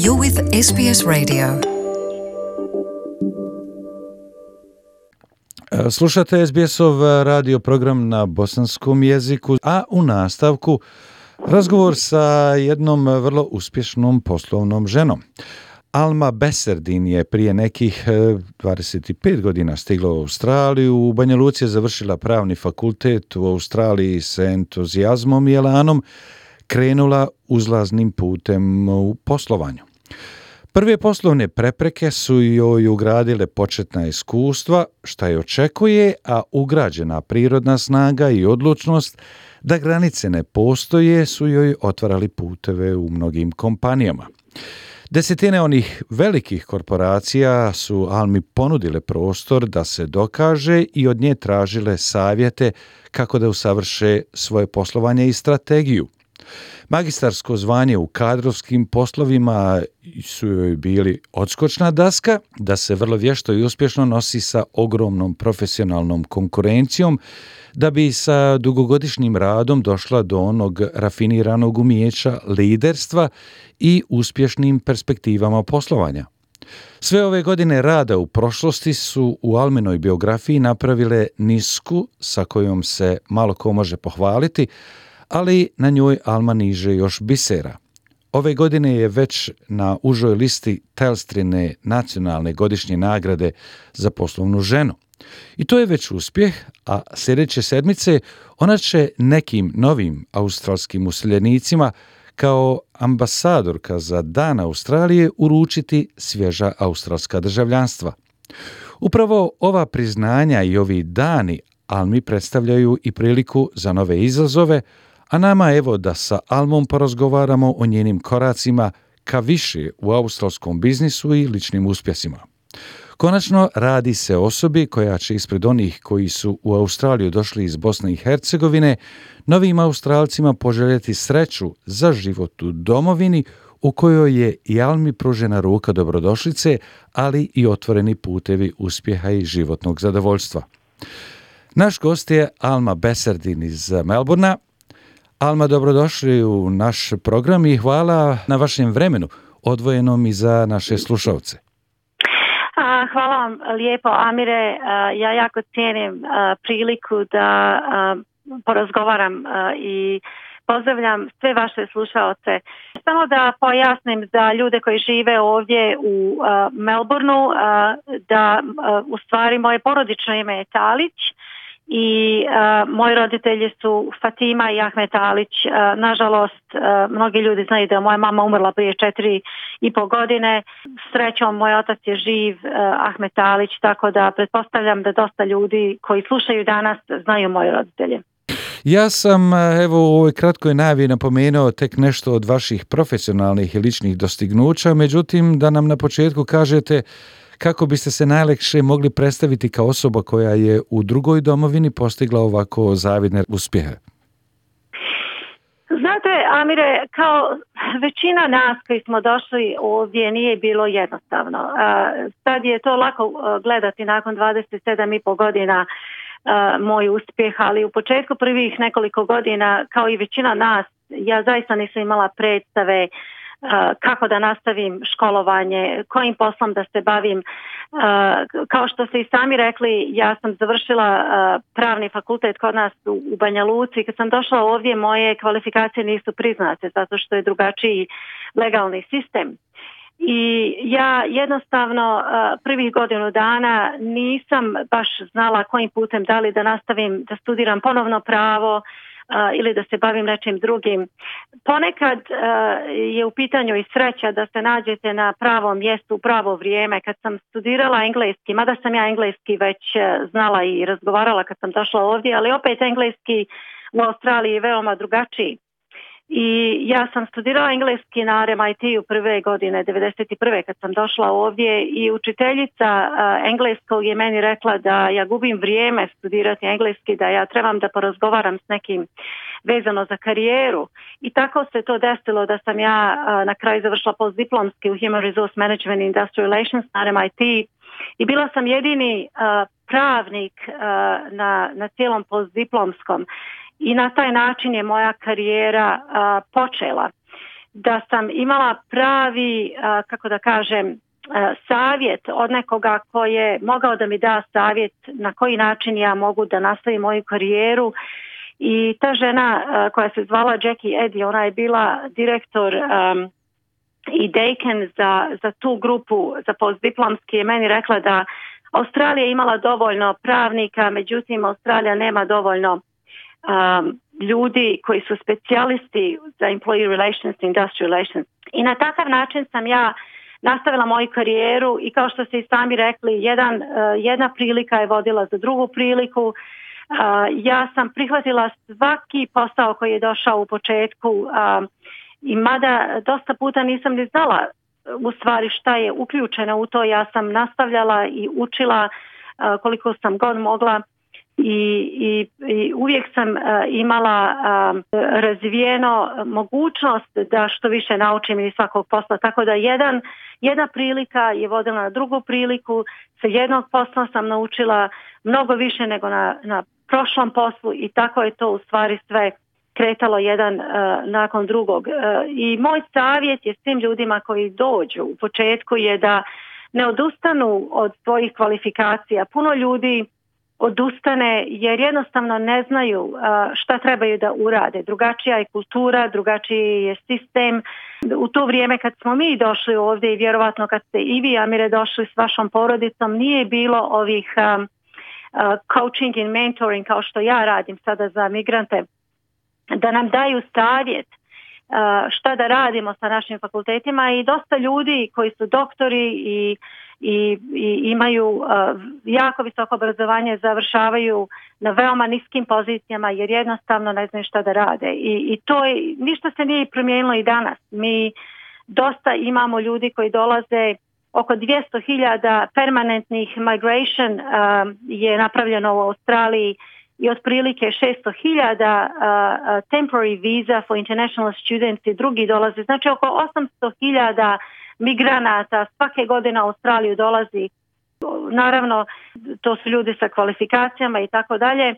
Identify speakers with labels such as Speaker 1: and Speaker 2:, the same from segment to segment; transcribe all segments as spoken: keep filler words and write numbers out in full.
Speaker 1: You're with S B S Radio.
Speaker 2: Slušate S B S-ov radio program na bosanskom jeziku, a u nastavku razgovor sa jednom vrlo uspješnom poslovnom ženom. Alma Beserdin je prije nekih dvadeset pet godina stigla u Australiju. U Banja Luci je završila pravni fakultet u Australiji s entuzijazmom i elanom krenula uzlaznim putem u poslovanju. Prve poslovne prepreke su joj ugradile početna iskustva, šta je očekuje, a ugrađena prirodna snaga i odlučnost da granice ne postoje su joj otvarali puteve u mnogim kompanijama. Desetine onih velikih korporacija su Almi ponudile prostor da se dokaže i od nje tražile savjete kako da usavrše svoje poslovanje i strategiju. Magistarsko zvanje u kadrovskim poslovima su joj bili odskočna daska da se vrlo vješto i uspješno nosi sa ogromnom profesionalnom konkurencijom, da bi sa dugogodišnjim radom došla do onog rafiniranog umijeća liderstva i uspješnim perspektivama poslovanja. Sve ove godine rada u prošlosti su u Alminoj biografiji napravile nisku sa kojom se malo ko može pohvaliti, ali na njoj Alma niže još bisera. Ove godine je već na užoj listi Telstrine nacionalne godišnje nagrade za poslovnu ženu. I to je već uspjeh, a sljedeće sedmice ona će nekim novim australskim useljenicima kao ambasadorka za Dan Australije uručiti svježa australska državljanstva. Upravo ova priznanja i ovi dani Almi predstavljaju i priliku za nove izazove, a nama evo da sa Almom porazgovaramo o njenim koracima ka više u australskom biznisu i ličnim uspjesima. Konačno radi se o osobi koja će ispred onih koji su u Australiju došli iz Bosne i Hercegovine novim Australcima poželjeti sreću za život u domovini u kojoj je i Almi pružena ruka dobrodošlice, ali i otvoreni putevi uspjeha i životnog zadovoljstva. Naš gost je Alma Beserdin iz Melbournea. Alma, dobrodošli u naš program i hvala na vašem vremenu, odvojenom i za naše slušalce.
Speaker 3: Hvala vam lijepo, Amire. Ja jako cijenim priliku da porazgovaram i pozdravljam sve vaše slušalce. Samo da pojasnim za ljude koji žive ovdje u Melbourneu da u stvari moje porodično ime je Talić. I uh, moji roditelji su Fatima i Ahmet Talić. Uh, nažalost, uh, mnogi ljudi znaju da je moja mama umrla prije četiri i pol godine. Srećom, moj otac je živ, uh, Ahmet Talić, tako da pretpostavljam da dosta ljudi koji slušaju danas znaju moji roditelje.
Speaker 2: Ja sam evo u ovoj kratkoj najavi napomenuo tek nešto od vaših profesionalnih i ličnih dostignuća, međutim da nam na početku kažete kako biste se najlakše mogli predstaviti kao osoba koja je u drugoj domovini postigla ovako zavidne uspjehe?
Speaker 3: Znate, Amire, kao većina nas koji smo došli ovdje nije bilo jednostavno. Sad je to lako gledati nakon dvadeset sedam i pol godina moj uspjeh, ali u početku prvih nekoliko godina, kao i većina nas, ja zaista nisam imala predstave kako da nastavim školovanje, kojim poslom da se bavim. Kao što ste i sami rekli, ja sam završila pravni fakultet kod nas u Banja Luci. Kad sam došla ovdje, moje kvalifikacije nisu priznate zato što je drugačiji legalni sistem. I ja jednostavno prvih godinu dana nisam baš znala kojim putem, da li da nastavim da studiram ponovno pravo Uh, ili da se bavim nečim drugim. Ponekad uh, je u pitanju i sreća da se nađete na pravom mjestu u pravo vrijeme. Kad sam studirala engleski, mada sam ja engleski već uh, znala i razgovarala kad sam došla ovdje, ali opet engleski u Australiji je veoma drugačiji. I ja sam studirala engleski na R M I T-u prve godine, devedeset prve kad sam došla ovdje, i učiteljica uh, engleskog je meni rekla da ja gubim vrijeme studirati engleski, da ja trebam da porazgovaram s nekim vezano za karijeru. I tako se to desilo da sam ja uh, na kraju završila postdiplomski u Human Resource Management and Industrial Relations na R M I T i bila sam jedini uh, pravnik uh, na, na cijelom postdiplomskom. I na taj način je moja karijera a, počela. da sam imala pravi, kako da kažem, savjet od nekoga koji je mogao da mi da savjet na koji način ja mogu da nastavim moju karijeru. I ta žena koja se zvala Jackie Eddy, ona je bila direktor um, i dekan za, za tu grupu za postdiplomski, je meni rekla da Australija imala dovoljno pravnika, međutim Australija nema dovoljno um, ljudi koji su specijalisti za employee relations, industrial relations. I na takav način sam ja nastavila moju karijeru i kao što ste i sami rekli, jedan, uh, jedna prilika je vodila za drugu priliku. Uh, ja sam prihvatila svaki posao koji je došao u početku uh, i mada dosta puta nisam ni znala u stvari šta je uključeno u to, ja sam nastavljala i učila uh, koliko sam god mogla i, i, i uvijek sam uh, imala uh, razvijeno mogućnost da što više naučim iz svakog posla, tako da jedan, jedna prilika je vodila na drugu priliku, sa jednog posla sam naučila mnogo više nego na, na prošlom poslu i tako je to u stvari sve kretalo jedan uh, nakon drugog. Uh, I moj savjet je svim ljudima koji dođu u početku je da ne odustanu od svojih kvalifikacija. Puno ljudi odustane jer jednostavno ne znaju uh, šta trebaju da urade. Drugačija je kultura, drugačiji je sistem. U to vrijeme kad smo mi došli ovdje i vjerovatno kad ste i vi, Amire, došli s vašom porodicom, nije bilo ovih um, uh, coaching and mentoring kao što ja radim sada za migrante, da nam daju savjet uh, šta da radimo sa našim fakultetima i dosta ljudi koji su doktori i, i, i imaju uh, jako visoko obrazovanje završavaju na veoma niskim pozicijama jer jednostavno ne znaju šta da rade i, i to je, ništa se nije promijenilo i danas. Mi dosta imamo ljudi koji dolaze, oko dvjesto hiljada permanentnih migration uh, je napravljeno u Australiji i otprilike šesto hiljada uh, temporary visa for international students i drugi dolaze. Znači oko osamsto hiljada migranata svake godine u Australiju dolazi. Naravno, to su ljudi sa kvalifikacijama i tako dalje.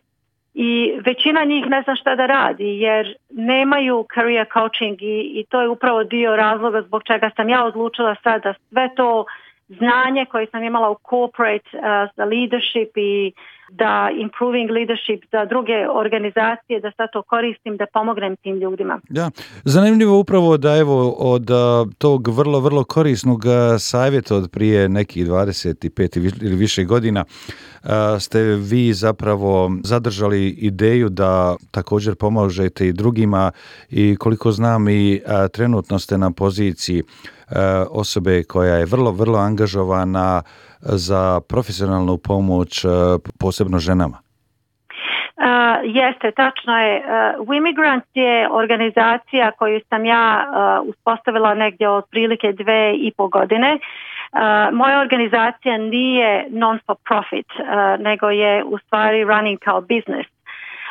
Speaker 3: I većina njih ne zna šta da radi jer nemaju career coaching i, i to je upravo dio razloga zbog čega sam ja odlučila sad da sve to znanje koje sam imala u corporate uh, za leadership i da improving leadership za druge organizacije, da sad to koristim, da pomognem tim ljudima.
Speaker 2: Ja, zanimljivo upravo da evo od uh, tog vrlo, vrlo korisnog uh, savjeta od prije nekih dvadeset pet ili više godina uh, ste vi zapravo zadržali ideju da također pomažete i drugima i koliko znam i uh, trenutno ste na poziciji osobe koja je vrlo, vrlo angažovana za profesionalnu pomoć posebno ženama.
Speaker 3: Uh, jeste, tačno je. Uh, Wimigrants je organizacija koju sam ja uh, uspostavila negdje od prilike dve i po godine. Uh, moja organizacija nije non for profit, uh, nego je u stvari running kao business.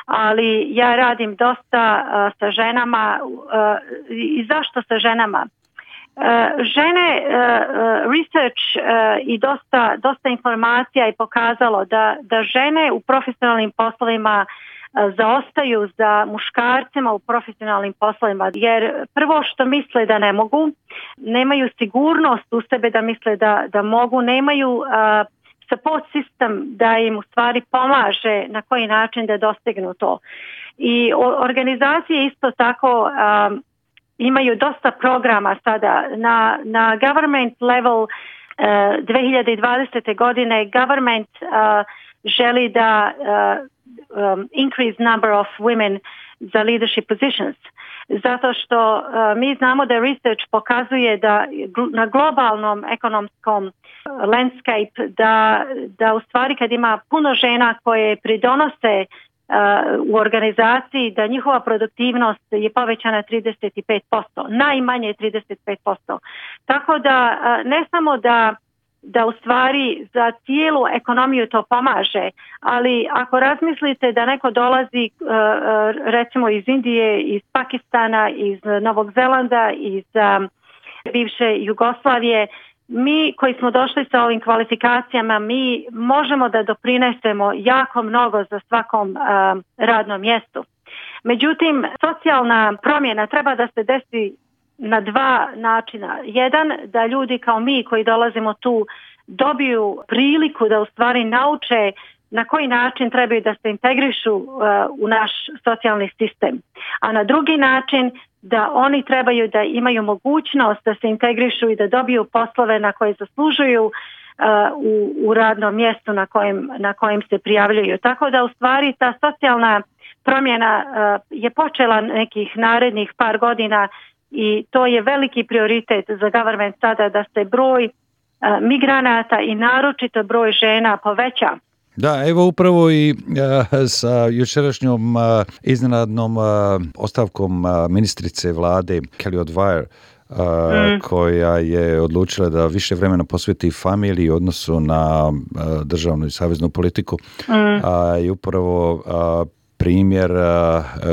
Speaker 3: Ali ja radim dosta uh, sa ženama. Uh, I zašto sa ženama? Uh, žene, uh, uh, research uh, i dosta, dosta informacija je pokazalo da, da žene u profesionalnim poslovima uh, zaostaju za muškarcima u profesionalnim poslovima jer prvo što misle da ne mogu, nemaju sigurnost u sebe da misle da, da mogu, nemaju uh, support system da im u stvari pomaže na koji način da dostignu to. I organizacije isto tako um, imaju dosta programa sada na, na government level. uh, dvije hiljade dvadesete. godine government uh, želi da uh, um, increase number of women za leadership positions. Zato što uh, mi znamo da research pokazuje da na globalnom ekonomskom landscape da, da u stvari kad ima puno žena koje pridonose u organizaciji da njihova produktivnost je povećana trideset pet posto, najmanje trideset pet posto. Tako da ne samo da, da u stvari za cijelu ekonomiju to pomaže, ali ako razmislite da neko dolazi recimo iz Indije, iz Pakistana, iz Novog Zelanda, iz bivše Jugoslavije, mi koji smo došli sa ovim kvalifikacijama, mi možemo da doprinesemo jako mnogo za svakom uh, radnom mjestu. Međutim, socijalna promjena treba da se desi na dva načina. Jedan, da ljudi kao mi koji dolazimo tu dobiju priliku da u stvari nauče na koji način trebaju da se integrišu uh, u naš socijalni sistem. A na drugi način da oni trebaju da imaju mogućnost da se integrišu i da dobiju poslove na koje zaslužuju uh, u, u radnom mjestu na kojem, na kojem se prijavljuju. Tako da u stvari ta socijalna promjena uh, je počela nekih narednih par godina i to je veliki prioritet za government sada da se broj uh, migranata i naročito broj žena poveća.
Speaker 2: Da, evo upravo i uh, sa jučerašnjom uh, iznenadnom uh, ostavkom uh, ministrice vlade Kelly O'Dwyer, uh, mm. koja je odlučila da više vremena posveti familiji u odnosu na uh, državnu i saveznu politiku. Mm. Uh, I upravo uh, primjer uh,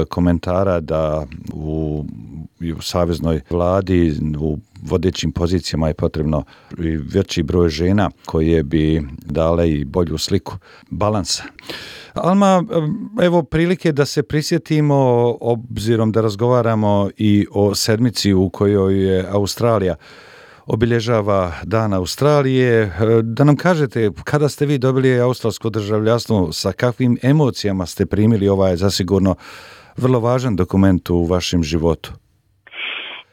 Speaker 2: komentara da u, u saveznoj vladi u vodećim pozicijama je potrebno i veći broj žena koje bi dale i bolju sliku balansa. Alma, evo prilike da se prisjetimo, obzirom da razgovaramo i o sedmici u kojoj je Australija obilježava Dan Australije. Da nam kažete, kada ste vi dobili australsko državljanstvo, sa kakvim emocijama ste primili ovaj zasigurno vrlo važan dokument u vašem životu?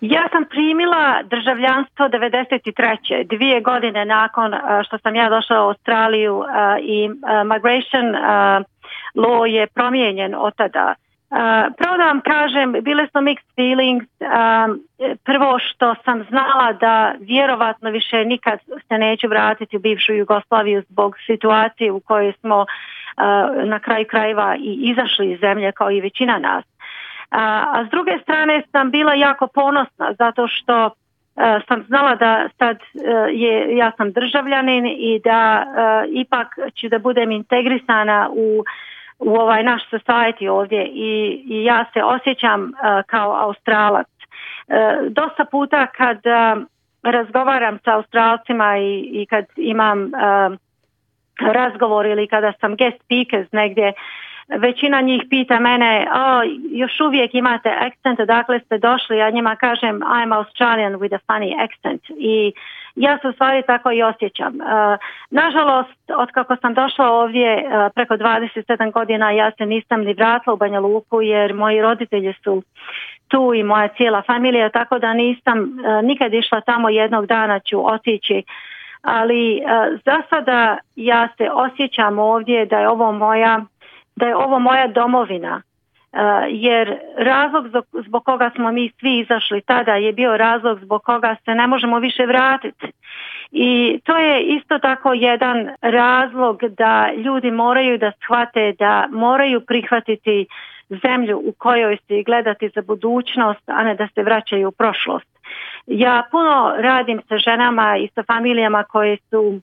Speaker 3: Ja sam primila državljanstvo devedeset treće dvije godine nakon što sam ja došla u Australiju i migration law je promijenjen od tada. Pravo da vam kažem, bile su mixed feelings. Prvo što sam znala da vjerovatno više nikad se neću vratiti u bivšu Jugoslaviju zbog situacije u kojoj smo na kraju krajeva i izašli iz zemlje kao i većina nas. A s druge strane sam bila jako ponosna zato što uh, sam znala da sad uh, je, ja sam državljanin i da uh, ipak ću da budem integrisana u, u ovaj naš society ovdje i, i ja se osjećam uh, kao Australac. Uh, dosta puta kad uh, razgovaram sa Australcima i, i kad imam uh, razgovor ili kada sam guest speakers negdje, većina njih pita mene, o, još uvijek imate akcent, odakle ste došli, ja njima kažem I'm Australian with a funny accent i ja se u stvari tako i osjećam. Uh, nažalost, od kako sam došla ovdje uh, preko dvadeset sedam godina, ja se nisam ni vratila u Banja Luku jer moji roditelji su tu i moja cijela familija, tako da nisam uh, nikad išla tamo, jednog dana ću otići. Ali uh, za sada ja se osjećam ovdje da je ovo moja da je ovo moja domovina, uh, jer razlog zbog, zbog koga smo mi svi izašli tada je bio razlog zbog koga se ne možemo više vratiti. I to je isto tako jedan razlog da ljudi moraju da shvate da moraju prihvatiti zemlju u kojoj se gledati za budućnost, a ne da se vraćaju u prošlost. Ja puno radim sa ženama i sa familijama koje su uh,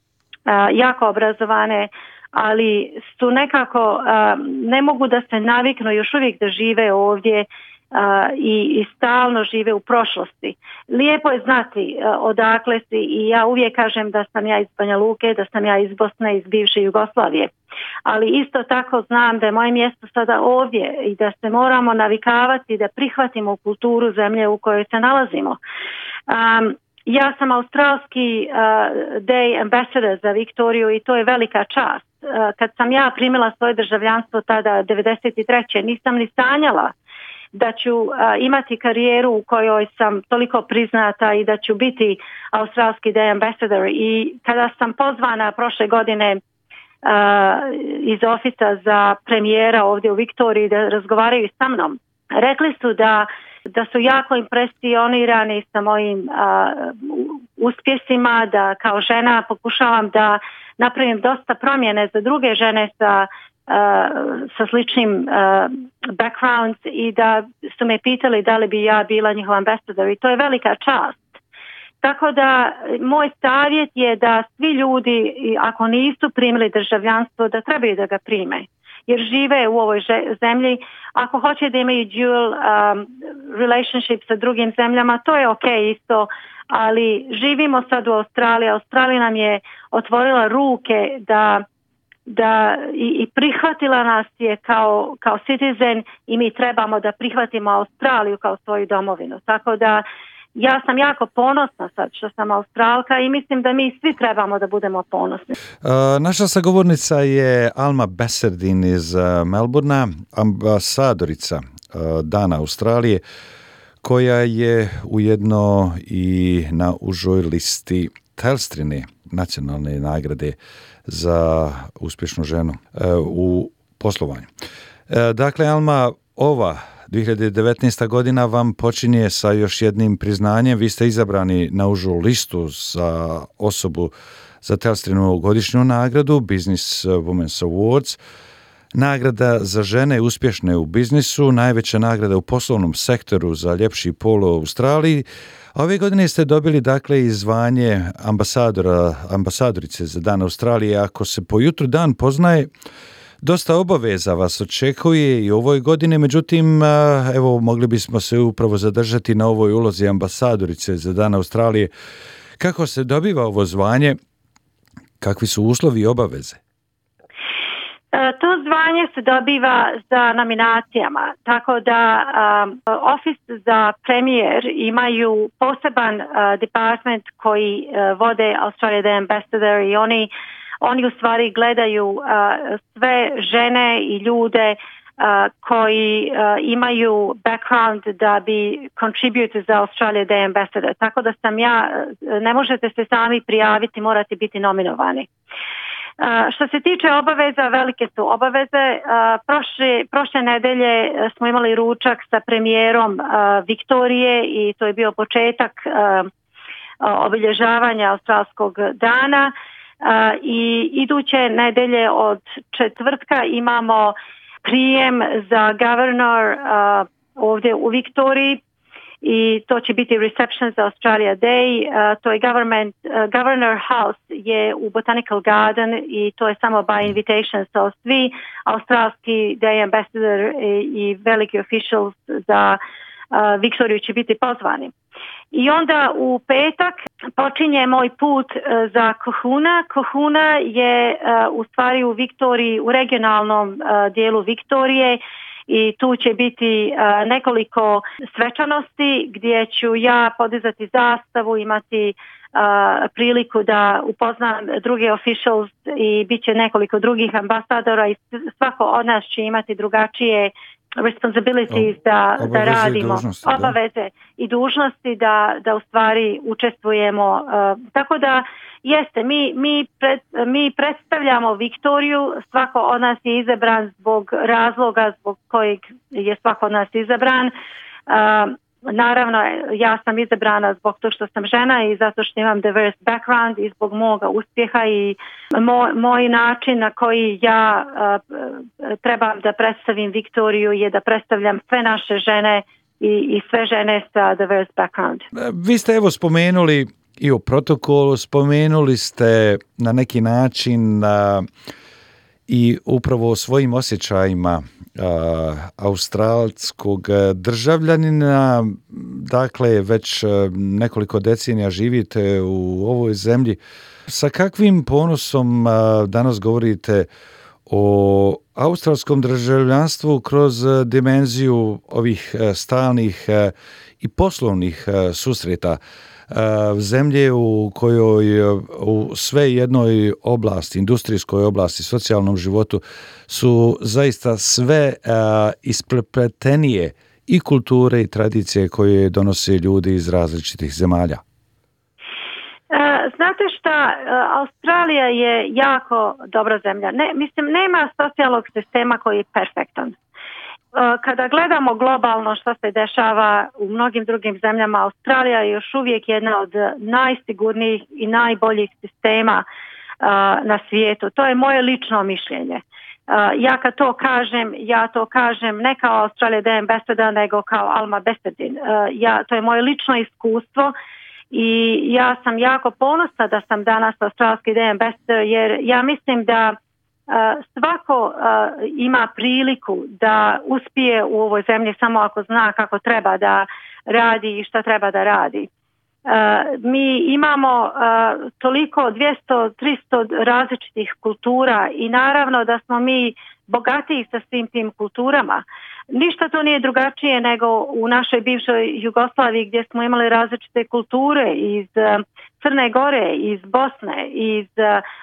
Speaker 3: jako obrazovane, ali su nekako, uh, ne mogu da se naviknu još uvijek da žive ovdje uh, i, i stalno žive u prošlosti. Lijepo je znati uh, odakle si i ja uvijek kažem da sam ja iz Banja Luke, da sam ja iz Bosne, iz bivše Jugoslavije. Ali isto tako znam da je moje mjesto sada ovdje i da se moramo navikavati da prihvatimo kulturu zemlje u kojoj se nalazimo. Um, Ja sam australski uh, Day Ambassador za Viktoriju i to je velika čast. Uh, kad sam ja primila svoje državljanstvo tada devedeset treće nisam ni sanjala da ću uh, imati karijeru u kojoj sam toliko priznata i da ću biti australski Day Ambassador. I kada sam pozvana prošle godine uh, iz ofisa za premijera ovdje u Viktoriji da razgovaraju sa mnom, rekli su da da su jako impresionirani sa mojim uh, uspjesima, da kao žena pokušavam da napravim dosta promjene za druge žene sa, uh, sa sličnim uh, backgrounds i da su me pitali da li bi ja bila njihov ambasador i to je velika čast. Tako da moj savjet je da svi ljudi, ako nisu primili državljanstvo, da trebaju da ga prime. Jer žive u ovoj zemlji, ako hoće da imaju dual um, relationship sa drugim zemljama, to je ok isto, ali živimo sad u Australiji. Australija nam je otvorila ruke da, da i, i prihvatila nas je kao, kao citizen i mi trebamo da prihvatimo Australiju kao svoju domovinu. Tako da ja sam jako ponosna sad što sam Australka i mislim da mi svi trebamo da budemo ponosni.
Speaker 2: Uh, naša sagovornica je Alma Baserdin iz uh, Melbourna, ambasadorica uh, Dana Australije, koja je ujedno i na užoj listi Telstrine nacionalne nagrade za uspješnu ženu uh, u poslovanju. Uh, dakle, Alma, ova dvije hiljade devetnaesta godina vam počinje sa još jednim priznanjem. Vi ste izabrani na užu listu za osobu za Telstrinu godišnju nagradu Business Women's Awards. Nagrada za žene uspješne u biznisu, najveća nagrada u poslovnom sektoru za ljepši pol u Australiji. A ove godine ste dobili dakle i zvanje ambasadora, ambasadorice za Dan Australije. Ako se po jutru dan poznaje, dosta obaveza vas očekuje i u ovoj godini, međutim, evo, mogli bismo se upravo zadržati na ovoj ulozi ambasadorice za Dan Australije. Kako se dobiva ovo zvanje? Kakvi su uslovi i obaveze?
Speaker 3: To zvanje se dobiva za nominacijama, tako da um, Office za premijer imaju poseban uh, department koji uh, vode Australia Day Ambassador i oni Oni u stvari gledaju uh, sve žene i ljude uh, koji uh, imaju background da bi contribute za Australia Day Ambassador. Tako da sam ja, ne možete se sami prijaviti, morate biti nominovani. Uh, što se tiče obaveza, velike su obaveze. Uh, prošle, prošle nedelje smo imali ručak sa premijerom uh, Viktorije i to je bio početak uh, obilježavanja Australskog dana. Uh, i iduće nedelje od četvrtka imamo prijem za governor uh, ovdje u Viktoriji i to će biti reception za Australia Day. Uh, to je government, uh, Governor House je u Botanical Garden i to je samo by invitation, so svi australski Day Ambassador i, i veliki officials za uh, Viktoriju će biti pozvani. I onda u petak počinje moj put uh, za Kohuna. Kohuna je uh, u stvari u Viktoriji, u regionalnom uh, dijelu Viktorije i tu će biti uh, nekoliko svečanosti gdje ću ja podizati zastavu, imati uh, priliku da upoznam druge officials i bit će nekoliko drugih ambasadora i svako od nas će imati drugačije responsibilities da, da radimo,
Speaker 2: dužnosti,
Speaker 3: obaveze
Speaker 2: da.
Speaker 3: i dužnosti da, da u stvari učestvujemo. Uh, tako da jeste, mi, mi, pred, mi predstavljamo Viktoriju, svako od nas je izabran zbog razloga zbog kojeg je svako od nas izabran. Uh, Naravno, ja sam izabrana zbog to što sam žena i zato što imam diverse background i zbog moga uspjeha i moj, moj način na koji ja uh, trebam da predstavim Viktoriju je da predstavljam sve naše žene i, i sve žene sa diverse background.
Speaker 2: Vi ste evo spomenuli i o protokolu, spomenuli ste na neki način uh, i upravo o svojim osjećajima Uh, australskog državljanina, dakle već uh, nekoliko decenija živite u ovoj zemlji. Sa kakvim ponosom uh, danas govorite o australskom državljanstvu kroz dimenziju ovih uh, stalnih uh, i poslovnih uh, susreta zemlje u kojoj u sve jednoj oblasti, industrijskoj oblasti, socijalnom životu su zaista sve isprepletenije i kulture i tradicije koje donose ljudi iz različitih zemalja?
Speaker 3: Znate šta, Australija je jako dobra zemlja. Ne, mislim, nema socijalnog sistema koji je perfektan. Kada gledamo globalno što se dešava u mnogim drugim zemljama, Australija je još uvijek jedna od najsigurnijih i najboljih sistema uh, na svijetu. To je moje lično mišljenje. Uh, ja kad to kažem, ja to kažem ne kao Australia Day Ambassador, nego kao Alma Baserdin. Uh, ja, to je moje lično iskustvo i ja sam jako ponosna da sam danas australski Day Ambassador jer ja mislim da Uh, svako uh, ima priliku da uspije u ovoj zemlji samo ako zna kako treba da radi i šta treba da radi. Uh, mi imamo uh, toliko dvjesto do tristo različitih kultura i naravno da smo mi bogatiji sa svim tim kulturama. Ništa to nije drugačije nego u našoj bivšoj Jugoslaviji gdje smo imali različite kulture iz Crne Gore, iz Bosne, iz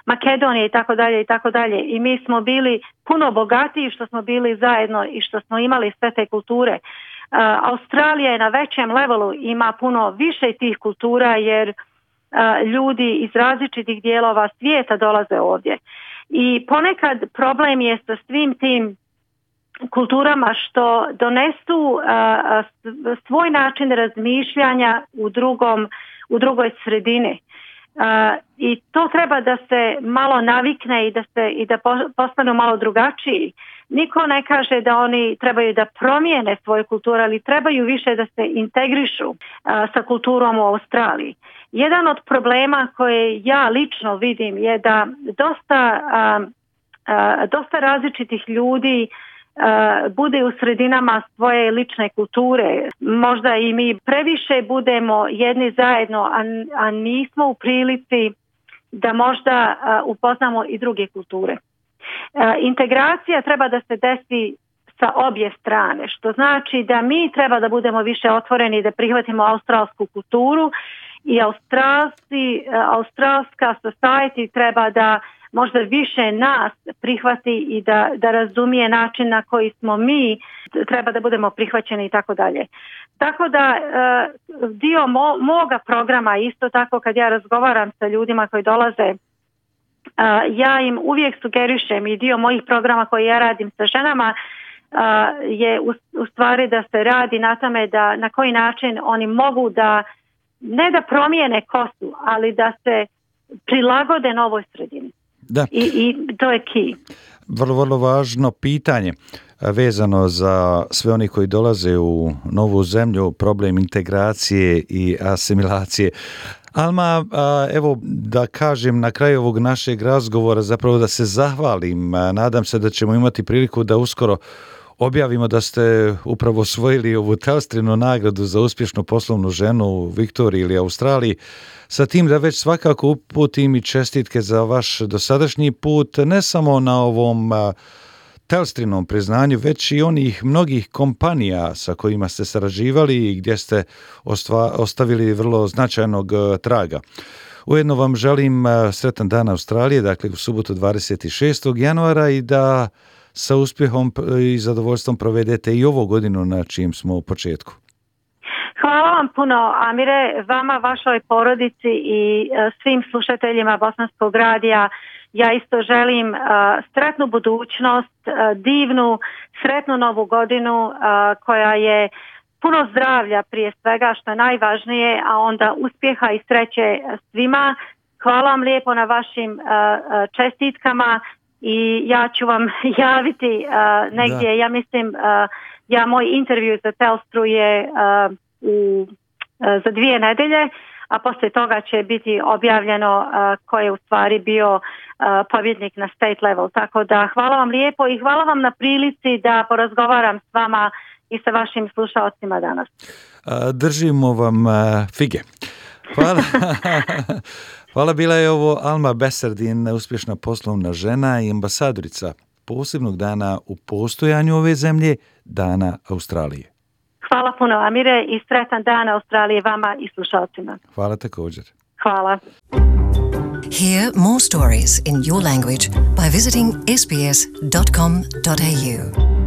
Speaker 3: Makedonije i tako dalje i tako dalje. I mi smo bili puno bogatiji što smo bili zajedno i što smo imali sve te kulture. Australija je na većem levelu, ima puno više tih kultura jer ljudi iz različitih dijelova svijeta dolaze ovdje. I ponekad problem je sa svim tim kulturama što donesu svoj način razmišljanja u drugom, u drugoj sredini. I to treba da se malo navikne i da se i da postanu malo drugačiji. Niko ne kaže da oni trebaju da promijene svoju kulturu, ali trebaju više da se integrišu a, sa kulturom u Australiji. Jedan od problema koje ja lično vidim je da dosta, a, a, dosta različitih ljudi a, bude u sredinama svoje lične kulture. Možda i mi previše budemo jedni zajedno, a, a nismo u prilici da možda a, upoznamo i druge kulture. Integracija treba da se desi sa obje strane, što znači da mi treba da budemo više otvoreni, da prihvatimo australsku kulturu i australski, australska society treba da možda više nas prihvati i da, da razumije način na koji smo mi, treba da budemo prihvaćeni i tako dalje. Tako da dio mo, moga programa isto tako kad ja razgovaram sa ljudima koji dolaze, Uh, ja im uvijek sugerišem i dio mojih programa koje ja radim sa ženama uh, je u, u stvari da se radi na tome da na koji način oni mogu da ne da promijene kosu, ali da se prilagode novoj sredini.
Speaker 2: Da.
Speaker 3: I, i to je key.
Speaker 2: Vrlo, vrlo važno pitanje vezano za sve oni koji dolaze u novu zemlju, problem integracije i asimilacije. Alma, evo da kažem na kraju ovog našeg razgovora, zapravo da se zahvalim. Nadam se da ćemo imati priliku da uskoro objavimo da ste upravo osvojili ovu Telstrinu nagradu za uspješnu poslovnu ženu u Viktoriji ili Australiji. Sa tim da već svakako uputim i čestitke za vaš dosadašnji put, ne samo na ovom Telstrinom priznanju, već i onih mnogih kompanija sa kojima ste sarađivali i gdje ste ostva, ostavili vrlo značajnog traga. Ujedno vam želim sretan dan Australije, dakle u subotu dvadeset šestog januara i da sa uspjehom i zadovoljstvom provedete i ovu godinu na čijem smo u početku.
Speaker 3: Hvala vam puno, Amire, vama, vašoj porodici i svim slušateljima Bosanskog radija. Ja isto želim uh, sretnu budućnost, uh, divnu, sretnu novu godinu uh, koja je puno zdravlja prije svega što je najvažnije, a onda uspjeha i sreće svima. Hvala vam lijepo na vašim uh, čestitkama i ja ću vam javiti uh, negdje, da. ja mislim, uh, ja moj intervju za Telstru je uh, u, uh, za dvije nedelje, a poslije toga će biti objavljeno uh, ko je u stvari bio uh, pobjednik na state level. Tako da hvala vam lijepo i hvala vam na prilici da porazgovaram s vama i sa vašim slušalcima danas.
Speaker 2: Držimo vam uh, fige. Hvala. Hvala, bila je ovo Alma Besardin, uspješna poslovna žena i ambasadorica posebnog dana u postojanju ove zemlje, Dana Australije.
Speaker 3: Hvala puno, Amire, i sretan dan Australije vama i slušalcima.
Speaker 2: Hvala također.
Speaker 3: Hvala.
Speaker 1: Hear more stories in your language by visiting s b s dot com dot a u.